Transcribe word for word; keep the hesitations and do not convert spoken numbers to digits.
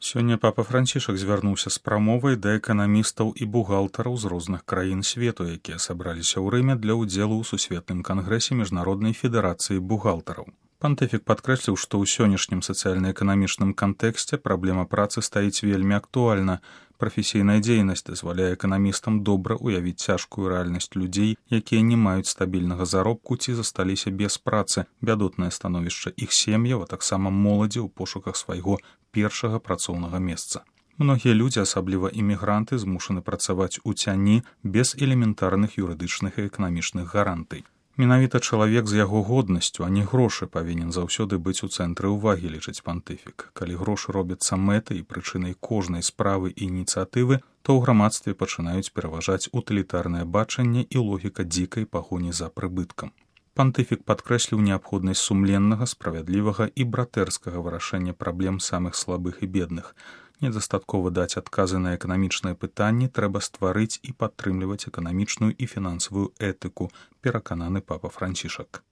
Сёння папа Францішак звярнуўся з прамовай да эканамістаў і бухгалтараў з розных краін свету, якія сабраліся ў Рыме для ўдзелу ў сусветным кангрэсе міжнароднай федэрацыі бухгалтараў. Пантыфік падкрэсліў, што ў сённяшнім сацыяльна-эканамічным кантэксце праблема працы стаіць вельмі актуальна. Прафесійная дзейнасць дазваляе эканамістам добра ўявіць цяжкую рэальнасць людзей, якія не маюць стабільнага заробку ці засталіся без працы, бядотнае становішча іх сем'яў, а таксама моладзі ў пошуках свайго першага працоўнага месца. Многія людзі, асабліва імігранты, змушаны працаваць у цяні без элементарных юрыдычных і эканамічных гарантый. Менавіта чалавек з яго годнасцю, а не грошы, павінен заўсёды быць у цэнтры ўвагі, лічыць пантыфік. Калі грошы робяцца мэтай і прычынай кожнай справы і ініцыятывы, то ў грамадстве пачынаюць пераважаць утылітарнае бачанне і логіка дзікай пагоні за прыбыткам. Пантыфік падкрэсліў неабходнасць сумленнага, справядлівага і братэрскага вырашэння праблем самых слабых і бедных. Недастаткова даць адказы на эканамічныя пытанні, трэба стварыць і падтрымліваць эканамічную і фінансавую этыку, перакананы папа Францішак.